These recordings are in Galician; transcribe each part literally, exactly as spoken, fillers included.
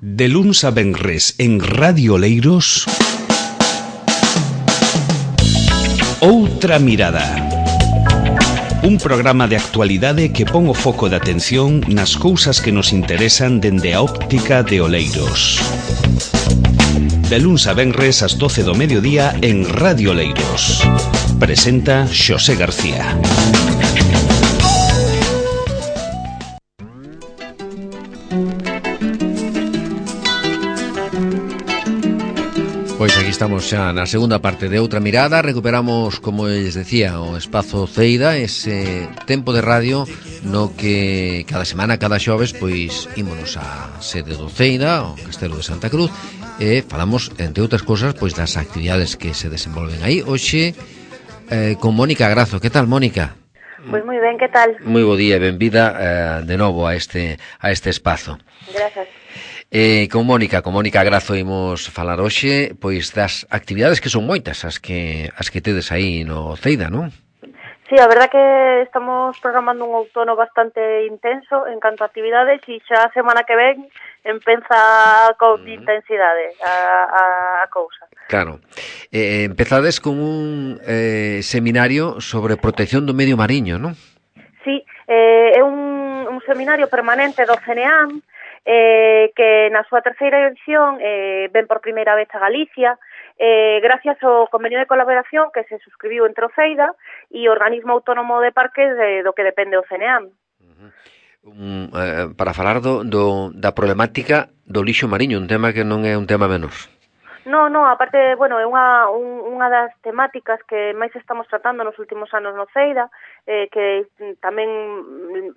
De luns a venres en Radio Oleiros, Outra Mirada. Un programa de actualidade que pon o foco de atención nas cousas que nos interesan dende a óptica de Oleiros. De luns a venres ás doce do mediodía en Radio Oleiros. Presenta Xosé García. Pois aquí estamos xa na segunda parte de Outra Mirada. Recuperamos, como les decía, o espazo Ceida, ese tempo de radio no que cada semana, cada xoves, pois ímonos á sede do Ceida, o Castelo de Santa Cruz, e falamos, entre outras cosas, pois das actividades que se desenvolven aí. Hoxe eh, con Mónica Grazo. Que tal, Mónica? Pois moi ben, que tal? Moi bo día e benvida eh, de novo a este a este espazo. Grazas. Eh, con Mónica, con Mónica Grazo imos falar hoxe pois das actividades que son moitas as que as que tedes aí no Ceida, non? Sí, a verdad que estamos programando un outono bastante intenso en canto a actividades e xa a semana que ven empeza con mm. intensidade a, a, a cousa. Claro. Eh, empezades con un eh, seminario sobre protección do medio mariño, non? Sí, eh, é un, un seminario permanente do C N A M eh, que na súa terceira edición eh, ven por primeira vez a Galicia, eh, gracias ao convenio de colaboración que se suscribiu entre o Ceida e o Organismo Autónomo de Parques de, do que depende o C N A M. Uh-huh. um, eh, para falar do, do, da problemática do lixo mariño, un tema que non é un tema menor. No, no, aparte, bueno, é unha, un, unha das temáticas que máis estamos tratando nos últimos anos no Ceida, eh, que tamén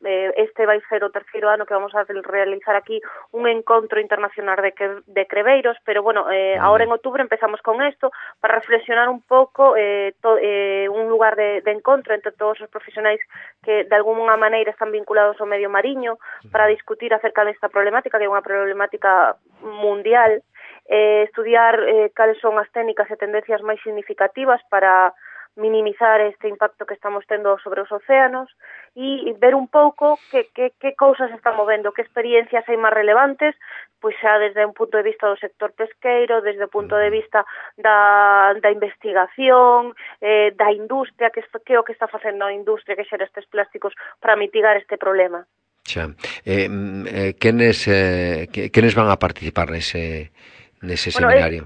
eh, este vai ser o terceiro ano que vamos a realizar aquí un encontro internacional de, que, de creveiros, pero bueno, eh, ahora en outubro empezamos con esto para reflexionar un pouco eh, to, eh, un lugar de, de encontro entre todos os profesionais que de alguna maneira están vinculados ao medio mariño para discutir acerca desta problemática, que é unha problemática mundial. Eh, estudiar eh, cales son as técnicas e tendencias máis significativas para minimizar este impacto que estamos tendo sobre os océanos e ver un pouco que, que, que cousas están movendo, que experiencias hai máis relevantes, pois xa desde un punto de vista do sector pesqueiro, desde o punto de vista da, da investigación, eh, da industria, que, que é o que está facendo a industria que xera estes plásticos para mitigar este problema. Xa. Eh, eh, quenes, eh, quenes van a participar nese... nese bueno, seminario?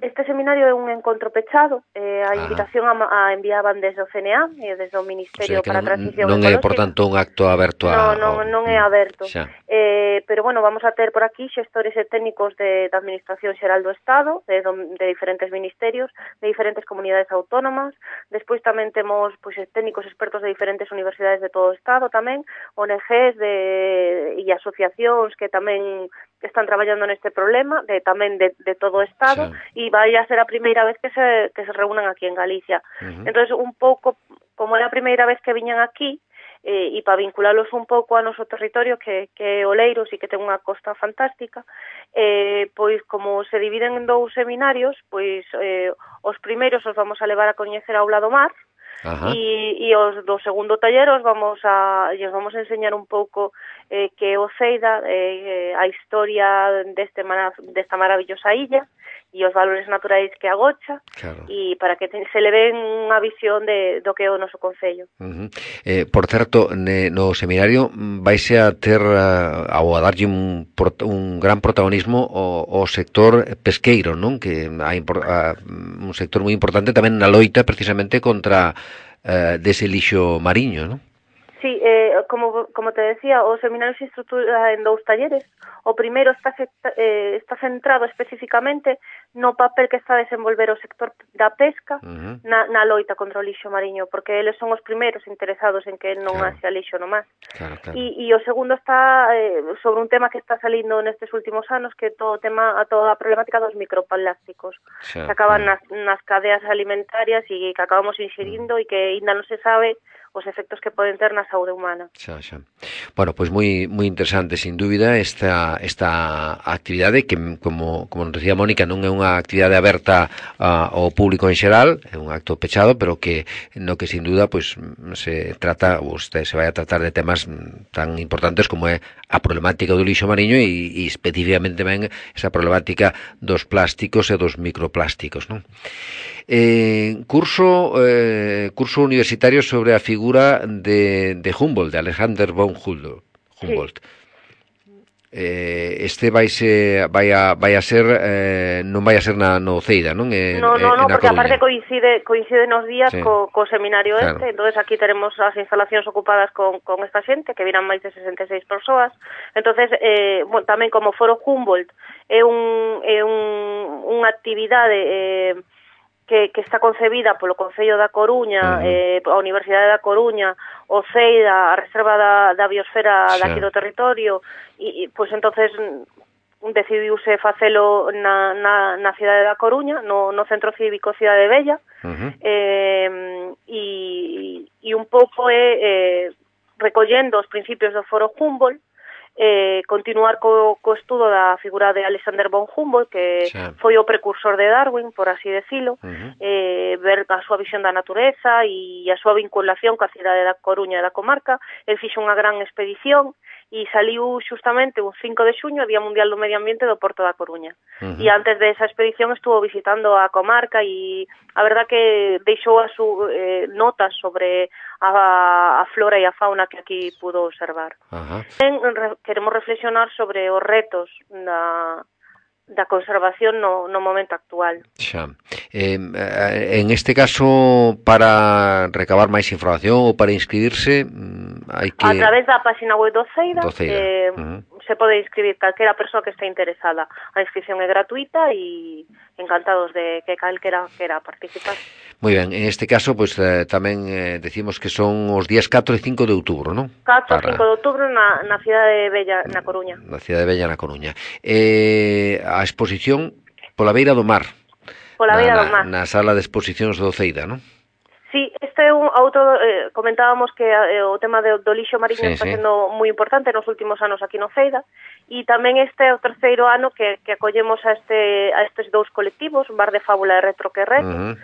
Este seminario é un encontro pechado, eh, a invitación a, a enviaban desde o C N A e desde o Ministerio o sea, para non, a Transición non Ecológica. É, por tanto, un acto aberto a... Non, non, non é aberto. Eh, pero, bueno, vamos a ter por aquí xestores e técnicos de, da Administración Xeral do Estado, de, de diferentes ministerios, de diferentes comunidades autónomas. Despois tamén temos pois, técnicos expertos de diferentes universidades de todo o Estado tamén, O N Ges de, e asociacións que tamén están traballando neste problema, de tamén de, de todo o Estado, e vai a ser a primeira vez que se, que se reúnan aquí en Galicia. Uh-huh. Entonces, un pouco, como é a primeira vez que viñan aquí, eh, e para vinculalos un pouco a noso territorio, que, que é Oleiros e que ten unha costa fantástica, eh, pois como se dividen en dous seminarios, pois eh, os primeiros os vamos a levar a coñecer a Aula do Mar, e, e os do segundo taller os vamos a, os vamos a enseñar un pouco eh, que o Ceida, eh, a historia deste, desta maravillosa illa, e os valores naturais que agocha, claro. E para que te, se le den unha visión de, do que é o noso concello. Uh-huh. Eh, por certo, ne, no seminario vaise a ter uh, ou a darlle un, un gran protagonismo ao, ao sector pesqueiro, non? Que hai uh, un sector moi importante tamén na loita precisamente contra uh, dese lixo mariño, non? Sí, eh, como, como te decía, o seminario se estrutura en dous talleres. O primeiro está, eh, está centrado especificamente no papel que está a desenvolver o sector da pesca uh-huh. na, na loita contra o lixo mariño, porque eles son os primeiros interesados en que non claro. haxa lixo no mar. Claro, claro. E, e o segundo está eh, sobre un tema que está salindo nestes últimos anos, que é todo o tema, a toda a problemática dos microplásticos, sí, que acaban uh-huh. nas, nas cadeas alimentarias e que acabamos inxerindo uh-huh. e que ainda non se sabe os efectos que poden ter na saúde humana. Xa, xa. Bueno, pois moi moi interesante, sin dúbida, esta esta actividade que, como como nos decía Mónica, non é unha actividade aberta uh, ao público en xeral, é un acto pechado, pero que no que sin duda pois se trata, ou se vai a tratar de temas tan importantes como é a problemática do lixo mariño e, e especificamente tamén esa problemática dos plásticos e dos microplásticos, non? Eh, curso eh, curso universitario sobre a figura de, de Humboldt, de Alexander von Humboldt. Sí. Eh, este vai se vai a vai a ser eh, non vai a ser na no Ceida, non? Eh, no, no, no, porque Coruña. aparte coincide coincide nos días sí. co, co seminario claro. este, entonces aquí teremos as instalacións ocupadas con, con esta xente, que viran máis de sesenta e seis persoas. Entonces, eh, bueno, tamén como Foro Humboldt é un é un unha actividade eh, que, que está concebida polo Concello da Coruña, uh-huh. eh, a Universidade da Coruña, o Ceida, a Reserva da, da Biosfera sí. daqui do territorio, e, pois pues, entonces decidiuse facelo na, na, na cidade da Coruña, no, no Centro Cívico Cidade Bella, uh-huh. eh, e, e un pouco é eh, recollendo os principios do Foro Humboldt, eh, continuar co, co estudo da figura de Alexander von Humboldt, que sí. foi o precursor de Darwin, por así decilo, uh-huh. eh, ver a súa visión da natureza e a súa vinculación coa cidade da Coruña e da comarca. El fixo unha gran expedición e saliu xustamente un cinco de xuño, Día Mundial do Medio Ambiente do Porto da Coruña. Uh-huh. E antes de esa expedición estuvo visitando a comarca e a verdad que deixou a su, eh, notas sobre a, a flora e a fauna que aquí pudo observar. Uh-huh. En, re, queremos reflexionar sobre os retos da, da conservación no, no momento actual. Xa. Eh, en este caso, para recabar máis información ou para inscribirse, hai que... A través da página web do Ceida, do Ceida. Eh, uh-huh. se pode inscribir calquera persoa que esté interesada. A inscripción é gratuita e encantados de que calquera quera participar. Moi ben, en este caso, pois pues, eh, tamén eh, decimos que son os días catro e cinco de outubro, non? catro e cinco de outubro na, na cidade Bella, na Coruña. Na cidade Bella, na Coruña. Eh, a exposición pola beira do mar. Pola beira do mar. Na sala de exposicións do Ceida, non? Sí, este é un outro, eh, comentábamos que eh, o tema de, do lixo mariño sí, está sí. sendo moi importante nos últimos anos aquí no Ceida, e tamén este é o terceiro ano que, que acollemos a este a estes dous colectivos, Bar de Fábula e Retro Querreto, uh-huh.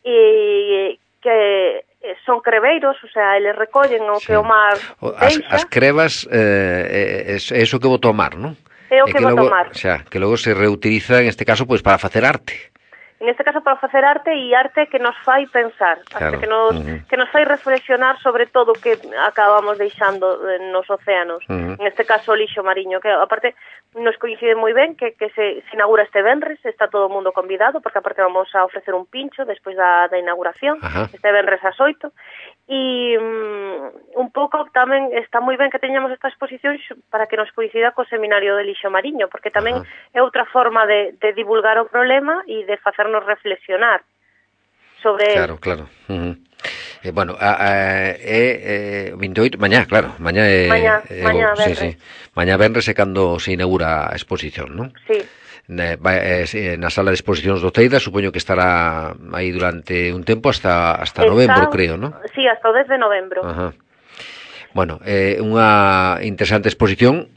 e que son creveiros, o sea, eles recollen o sí. que o mar deixa. As, as crevas eh, é, é iso que botou o mar, non? É o que, que botou o mar. O sea, que logo se reutiliza, en este caso, pois para facer arte. En este caso para facer arte e arte que nos fai pensar, claro. arte que nos, uh-huh. que nos fai reflexionar sobre todo o que acabamos deixando nos océanos, uh-huh. en este caso o lixo mariño, que aparte nos coincide moi ben que, que se, se inaugura este venres, está todo o mundo convidado, porque aparte vamos a ofrecer un pincho despois da, da inauguración, uh-huh. este venres ás oito, e um, un pouco tamén está moi ben que teñamos esta exposición para que nos coincida co seminario de lixo mariño, porque tamén uh-huh. é outra forma de, de divulgar o problema e de facer nos reflexionar sobre claro, él. Claro, uh-huh. eh, bueno, é eh, eh, vinti e oito, mañá, claro, mañá é mañá, eh, mañá sí, sí. Mañá venres é cando se inaugura a exposición, non? Sí. Na, eh, na sala de exposicións do Ceida, supoño que estará aí durante un tempo hasta hasta Está, novembro, creo, non? Sí, hasta o dez de novembro. Ajá. Bueno, é eh, unha interesante exposición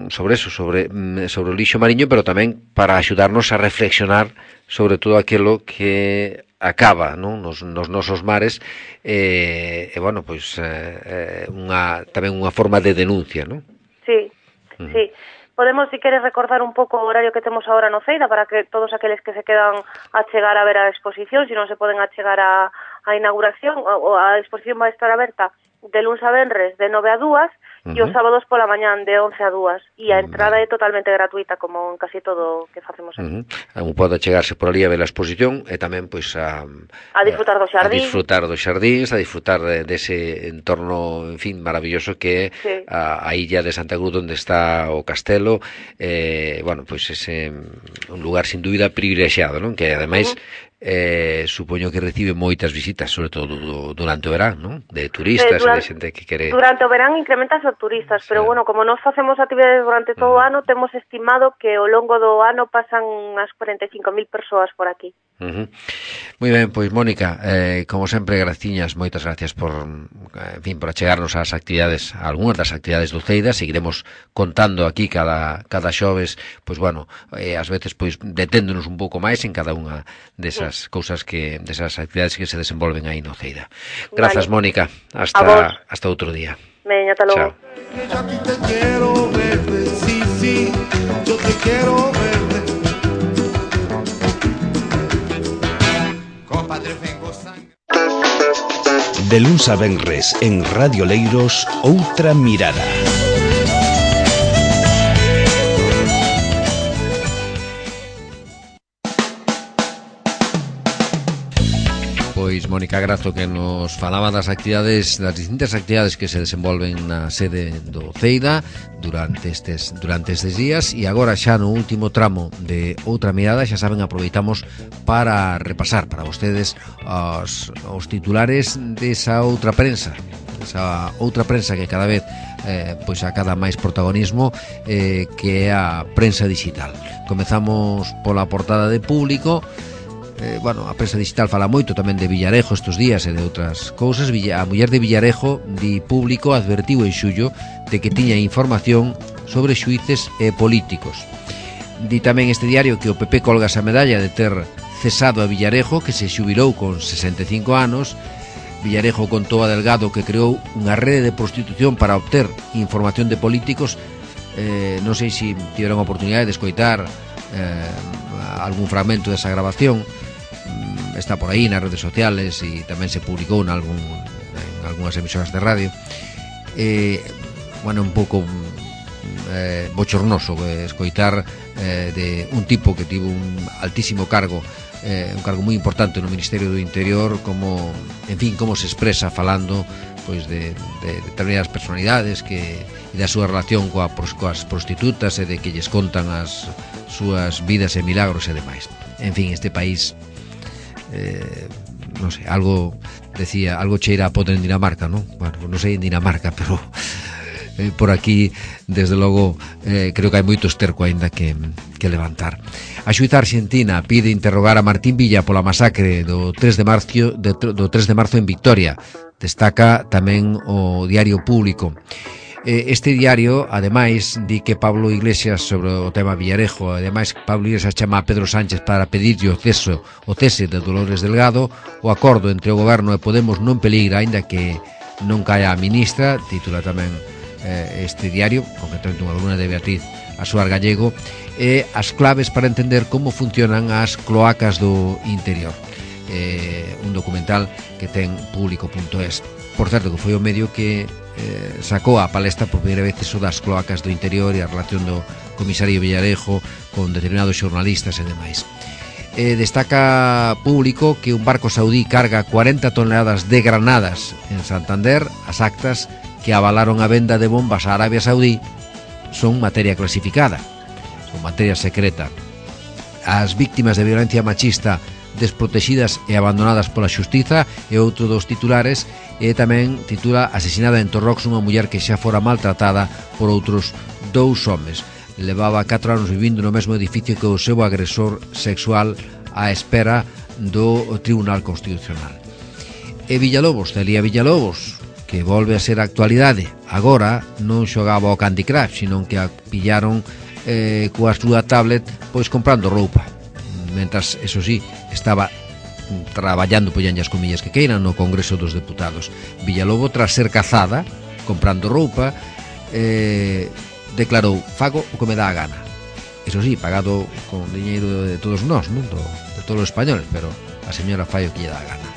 sobre eso, sobre sobre o lixo mariño, pero tamén para axudarnos a reflexionar sobre todo aquilo que acaba, non, nos, nos nosos mares, e, eh, eh, bueno, pois eh, unha tamén unha forma de denuncia, non? Sí, mm. sí. Podemos, si queres, recordar un pouco o horario que temos agora no Ceida para que todos aqueles que se quedan a chegar a ver a exposición, se non se poden achegar a, a inauguración, o a exposición vai estar aberta de luns a venres de nove a dúas, uh-huh. e os sábados pola mañán de once a dúas, e a entrada uh-huh. é totalmente gratuita, como en casi todo o que facemos aquí. Uh-huh. Un pode chegarse por ali a ver a exposición e tamén pois a a disfrutar do xardín, a disfrutar dos xardíns, a disfrutar de, dese entorno, en fin, maravilloso que é sí. a, a illa de Santa Cruz onde está o castelo, eh, bueno, pois ese un lugar sin dúbida privilexiado, non? Que ademais uh-huh. Eh, supoño que recibe moitas visitas, sobre todo do, durante o verán, non? De turistas, eh, durante, de xente que quere... Durante o verán incrementas os turistas, sí. pero bueno, como nós facemos actividades durante todo uh-huh. o ano, temos estimado que ao longo do ano pasan unhas cuarenta e cinco mil persoas por aquí. Uh-huh. Moi ben, pois Mónica, eh, como sempre, graciñas, moitas gracias por, en fin, por achegarnos ás actividades, algunhas das actividades do Ceida. Seguiremos contando aquí cada cada xoves, pois bueno, eh, ás veces pois deténdonos un pouco máis en cada unha desas sí. cousas que desas actividades que se desenvolven aí no Ceida. Grazas, vale. Mónica, hasta hasta outro día. Veña, ata logo. Yo te quiero verte, sí, sí, yo te quiero verte. Compadre, vengo sangre. De luns a venres en Radio Leiros, Outra Mirada. Pois Mónica Grazo, que nos falaba das actividades, das distintas actividades que se desenvolven na sede do Ceida durante estes durante estes días, e agora xa no último tramo de Outra Mirada, xa saben, aproveitamos para repasar para vostedes os, os titulares desa outra prensa, esa outra prensa que cada vez eh, pois acada máis protagonismo, eh, que é a prensa digital. Comezamos pola portada de Público. Eh, bueno, a prensa digital fala moito tamén de Villarejo estes días e de outras cousas. Villa, a muller de Villarejo, di Público, advertiu en xullo de que tiña información sobre xuíces e políticos. Di tamén este diario que o P P colga esa medalla de ter cesado a Villarejo, que se xubilou con sesenta e cinco anos. Villarejo contou a Delgado que creou unha rede de prostitución para obter información de políticos. Eh, non sei se tiveron a oportunidade de escoitar eh, algún fragmento desa grabación. Está por aí nas redes sociales e tamén se publicou en, algún, en algunhas emisoras de radio. Eh, bueno, un pouco eh, bochornoso eh, escoitar eh, de un tipo que tivo un altísimo cargo, eh, un cargo moi importante no Ministerio do Interior, como, en fin, como se expresa falando pois de, de determinadas personalidades que, e da súa relación coa, coas prostitutas e de que lles contan as súas vidas e milagros e demais. En fin, este país, eh, non sei, algo decía, algo cheira a podre en Dinamarca, non? Bueno, non sei en Dinamarca, pero eh, por aquí, desde logo, eh, creo que hai moito esterco aínda que, que levantar. A xuíza argentina pide interrogar a Martín Villa pola masacre do tres de marzo, de, do tres de marzo en Victoria. Destaca tamén o diario Público. Este diario, ademais, di que Pablo Iglesias, sobre o tema Villarejo, ademais Pablo Iglesias chama a Pedro Sánchez para pedirlle o ceso, o cese de Dolores Delgado. O acordo entre o Goberno e Podemos non peligra, aínda que non caia a ministra, titula tamén eh, este diario, concretamente unha columna de Beatriz Asuar Gallego, e as claves para entender como funcionan as cloacas do interior. Eh, un documental que ten público punto es. Por certo, que foi o medio que eh, sacou a palestra por primeira vez eso das cloacas do interior e a relación do comisario Villarejo con determinados xornalistas e demais. Eh, destaca Público que un barco saudí carga cuarenta toneladas de granadas en Santander. As actas que avalaron a venda de bombas a Arabia Saudí son materia clasificada, son materia secreta. As víctimas de violencia machista desprotegidas e abandonadas pola xustiza e outro dos titulares, e tamén titula Asesinada en Torrox unha muller que xa fora maltratada por outros dous homes. Levaba catro anos vivindo no mesmo edificio que o seu agresor sexual á espera do Tribunal Constitucional. E Villalobos, Celia Villalobos, que volve a ser a actualidade. Agora non xogaba o Candy Crush, sino que a pillaron eh, coa súa tablet pois comprando roupa. Mentras, eso sí, estaba traballando, pollanlle as comillas que queiran, no Congreso dos Deputados. Villalobo, tras ser cazada comprando roupa, eh, declarou: fago o que me dá a gana. Eso sí, pagado con diñeiro de todos nós, non? Do, de todos os españoles, pero a señora fai o que lle dá a gana.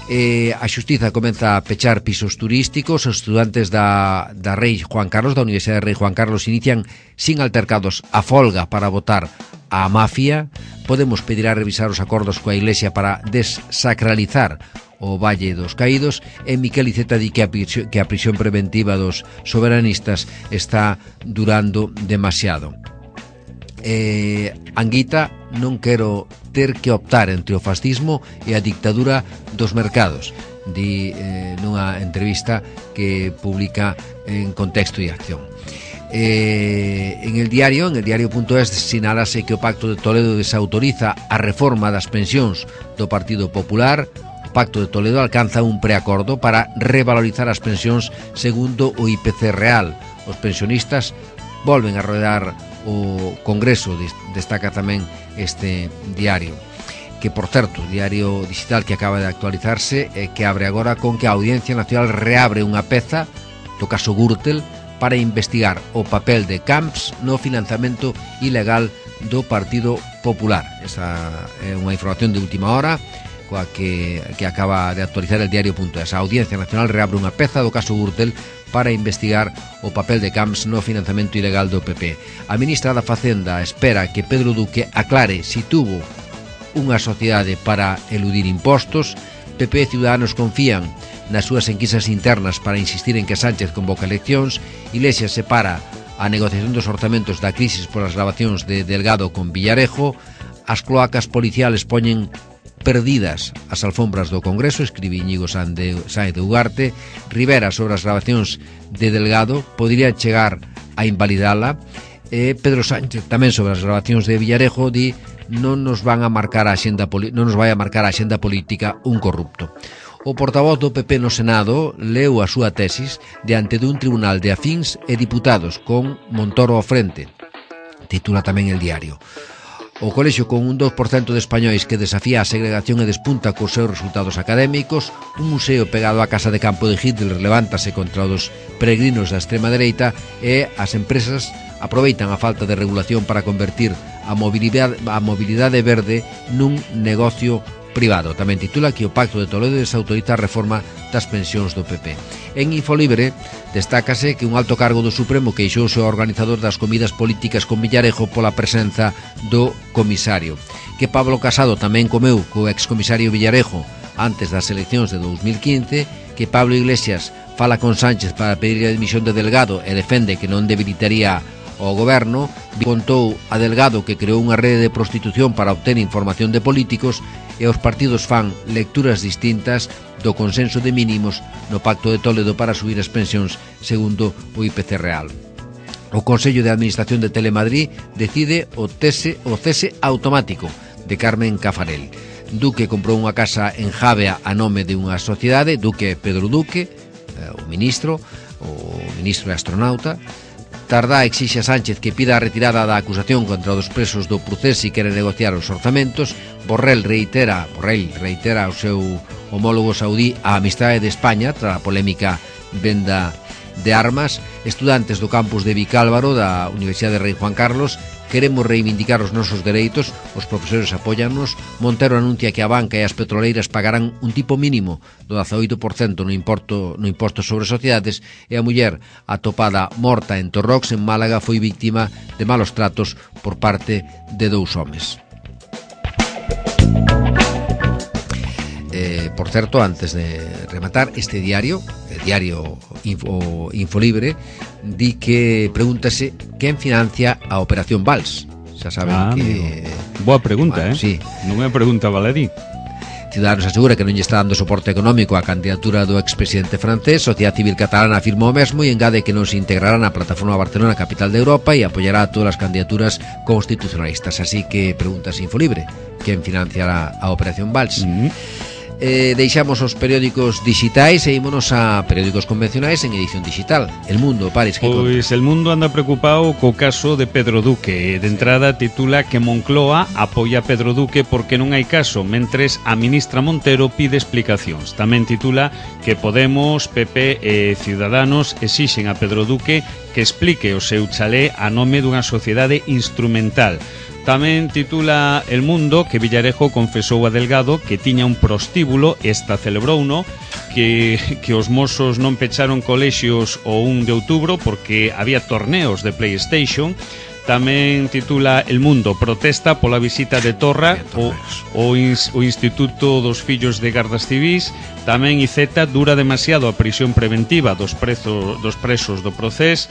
Eh, a xustiza comeza a pechar pisos turísticos. Os estudantes da, da Rei Juan Carlos, da Universidade de Rei Juan Carlos, inician sin altercados a folga para votar a mafia. Podemos pedir a revisar os acordos coa Iglesia para desacralizar o Valle dos Caídos. E Miquel Iceta di que a, prisión, que a prisión preventiva dos soberanistas está durando demasiado. Eh, Anguita: non quero ter que optar entre o fascismo e a dictadura dos mercados, di eh, nunha entrevista que publica en Contexto e Acción. Eh, en el diario, en el diario punto es, sinalase que o Pacto de Toledo desautoriza a reforma das pensións do Partido Popular. O Pacto de Toledo alcanza un preacordo para revalorizar as pensións segundo o I P C real. Os pensionistas volven a rodear o Congreso, destaca tamén este diario, que, por certo, diario digital que acaba de actualizarse e que abre agora con que a Audiencia Nacional reabre unha peza do caso Gürtel para investigar o papel de Camps no financiamento ilegal do Partido Popular. Esa é unha información de última hora coa que, que acaba de actualizar el diario punto es. A Audiencia Nacional reabre unha peza do caso Gürtel para investigar o papel de Camps no financiamento ilegal do P P. A ministra da Facenda espera que Pedro Duque aclare si tuvo unha sociedade para eludir impostos. P P e Ciudadanos confían nas súas enquisas internas para insistir en que Sánchez convoca eleccións. Iglesias separa a negociación dos orzamentos da crisis polas gravacións de Delgado con Villarejo. As cloacas policiales poñen perdidas as alfombras do Congreso, escribe Íñigo Sáenz de Ugarte. Rivera sobre as gravacións de Delgado podría chegar a invalidala. E Pedro Sánchez tamén sobre as gravacións de Villarejo di non nos van a marcar a axenda non nos vai a marcar a axenda política un corrupto. O portavoz do P P no Senado leu a súa tesis diante dun tribunal de afíns e diputados con Montoro ao frente. Titula tamén el diario. O colexio con un dos por cento de españois que desafía a segregación e despunta cos seus resultados académicos. Un museo pegado á casa de campo de Hitler levántase contra os peregrinos da extrema dereita e as empresas aproveitan a falta de regulación para convertir a mobilidade, a mobilidade verde nun negocio privado. Tamén titula que o Pacto de Toledo desautoriza a reforma das pensións do P P. En Infolibre destácase que un alto cargo do Supremo queixouse ao organizador das comidas políticas con Villarejo pola presenza do comisario. Que Pablo Casado tamén comeu co excomisario Villarejo antes das eleccións de dous mil quince. Que Pablo Iglesias fala con Sánchez para pedir a dimisión de Delgado e defende que non debilitaría o goberno. Contou a Delgado que creou unha rede de prostitución para obter información de políticos e os partidos fan lecturas distintas do consenso de mínimos no Pacto de Toledo para subir as pensións segundo o I P C real. O Consello de Administración de Telemadrid decide o cese, o cese automático de Carmen Cafarel. Duque comprou unha casa en Javea a nome de unha sociedade. Duque Pedro Duque, o ministro, o ministro e astronauta. Tardá exixe a Sánchez que pida a retirada da acusación contra os presos do Procés e quere negociar os orzamentos. Borrell reitera, Borrell reitera ao seu homólogo saudí a amistade de España tras a polémica venda de armas. Estudantes do campus de Vicálvaro da Universidade de Rei Juan Carlos: queremos reivindicar os nosos dereitos, os profesores apóyannos. Montero anuncia que a banca e as petroleiras pagarán un tipo mínimo do dezaoito por cento no imposto, no imposto sobre sociedades. E a muller atopada morta en Torrox, en Málaga, foi víctima de malos tratos por parte de dous homes. Eh, por certo, antes de rematar, este diario, el diario Info, Infolibre, di que pregúntase quen financia a Operación Vals. Xa saben ah, que... Amigo. Boa pregunta, bueno, eh? Sí. Non é pregunta baladí. Ciudadanos asegura que non lle está dando soporte económico á candidatura do expresidente francés. Sociedade Civil Catalana afirma o mesmo e engade que non se integrará na plataforma Barcelona Capital de Europa e apoyará a todas as candidaturas constitucionalistas. Así que preguntas Infolibre, quen financiará a Operación Vals? Mm-hmm. Eh, deixamos os periódicos digitais e ímonos a periódicos convencionais en edición digital. El Mundo, Paris, que Pois conta? El Mundo anda preocupado co caso de Pedro Duque. De entrada titula que Moncloa apoia a Pedro Duque porque non hai caso, mentres a ministra Montero pide explicacións. Tamén titula que Podemos, P P e Ciudadanos exixen a Pedro Duque que explique o seu chalé a nome dunha sociedade instrumental. Tamén titula El Mundo que Villarejo confesou a Delgado que tiña un prostíbulo, esta celebrouno, que, que os mozos non pecharon colexios o un de outubro porque había torneos de PlayStation. Tamén titula El Mundo protesta pola visita de Torra o, o, ins, o Instituto dos Fillos de Gardas Civís. Tamén I Z dura demasiado a prisión preventiva dos, prezo, dos presos do Procés.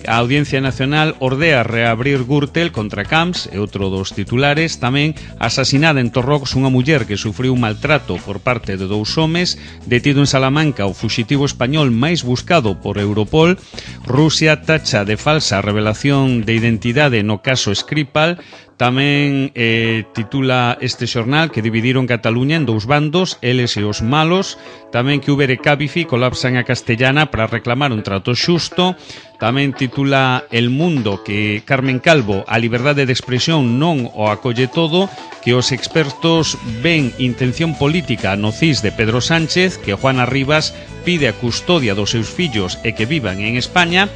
A Audiencia Nacional ordea reabrir Gürtel contra Camps e outro dos titulares. Tamén asasinada en Torrox unha muller que sufriu un maltrato por parte de dous homes. Detido en Salamanca o fuxitivo español máis buscado por Europol. Rusia tacha de falsa revelación de identidade no caso Skripal. Tamén eh, titula este xornal que dividiron Cataluña en dous bandos, eles e os malos. Tamén que Uber e Cabify colapsan a Castellana para reclamar un trato xusto. tamén titula El Mundo que Carmen Calvo, a liberdade de expresión non o acolle todo, que os expertos ven intención política no C I S de Pedro Sánchez, que Juana Rivas pide a custodia dos seus fillos e que vivan en España.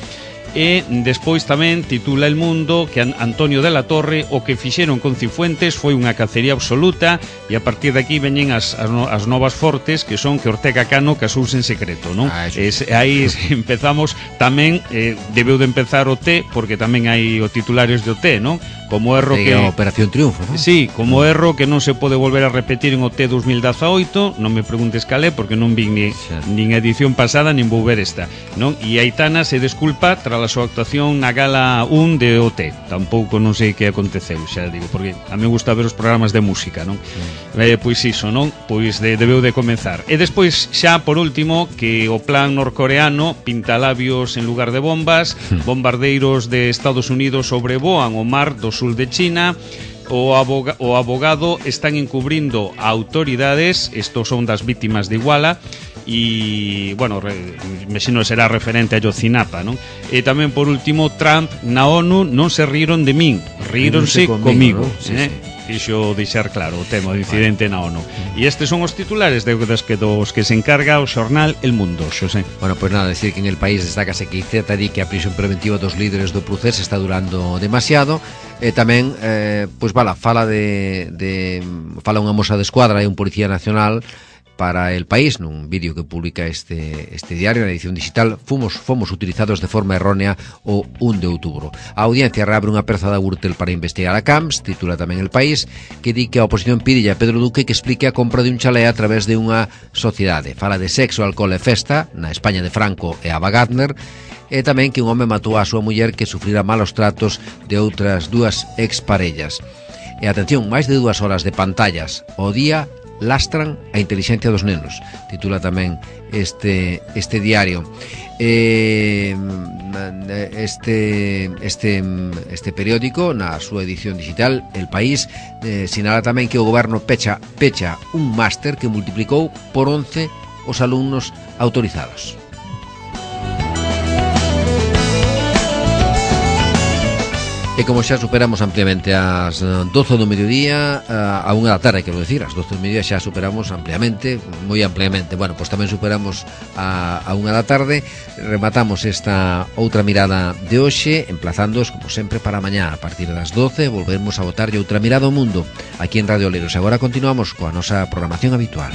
E despois tamén titula El Mundo que Antonio de la Torre o que fixeron con Cifuentes foi unha cacería absoluta, e a partir de aquí veñen as, as, no, as novas fortes, que son que Ortega Cano casouse en secreto, non? Ah, es, aí empezamos tamén, eh, debeu de empezar o T, porque tamén hai o titulares de O T, non? Como erro que... a Operación Triunfo, non? Sí, como erro que non se pode volver a repetir en o T dos mil dezaoito, non me preguntes calé, porque non vi ni, nin edición pasada, nin vou ver esta, non? E Aitana se desculpa tras a súa actuación na gala un de O T. Tampouco non sei que aconteceu, xa digo, porque a mí gusta ver os programas de música, non? Mm. Eh, pois iso, non? Pois de, debeu de comenzar. E despois, xa por último, que o plan norcoreano pinta labios en lugar de bombas, mm. bombardeiros de Estados Unidos sobrevoan o mar do sul de China. O, aboga, o abogado están encubrindo a autoridades, estos son das vítimas de Iguala, e, bueno, re, me sino será referente a Yocinapa, non? E tamén, por último, Trump na ONU non se riron de min, ríronse comigo, ¿no? Sí, eh? sí. Fixo deixar claro o tema do incidente na ONU. E estes son os titulares de das que dos que se encarga o xornal El Mundo, Xosé. Bueno, pues nada, decir que en el país destácase que I C E T di que a prisión preventiva dos líderes do Procés está durando demasiado. E tamén, eh, pois vala, fala de, de fala unha moza de escuadra e un policía nacional para El País, nun vídeo que publica este, este diario na edición digital. Fomos, fomos utilizados de forma errónea o un de outubro. A audiencia reabre unha perza da Gürtel para investigar a Camps, titula tamén El País, que di que a oposición pide a Pedro Duque que explique a compra de un chalé a través de unha sociedade. Fala de sexo, alcohol e festa na España de Franco e Ava Gardner, e tamén que un home matou a súa muller que sufrira malos tratos de outras dúas exparellas. E atención, máis de dúas horas de pantallas ao día lastran a intelixencia dos nenos, titula tamén este este diario. Eh, este este este periódico na súa edición digital El País eh, sinala tamén que o goberno pecha pecha un máster que multiplicou por once os alumnos autorizados. E como xa superamos ampliamente as doce do mediodía, a unha da tarde, quero decir, as doce do mediodía xa superamos ampliamente, moi ampliamente. Bueno, pois tamén superamos a, a unha da tarde. Rematamos esta outra mirada de hoxe, emplazándoos, como sempre, para mañá. A partir das doce, volveremos a botarlle outra mirada ao mundo aquí en Radio Oleiros. Agora continuamos coa nosa programación habitual.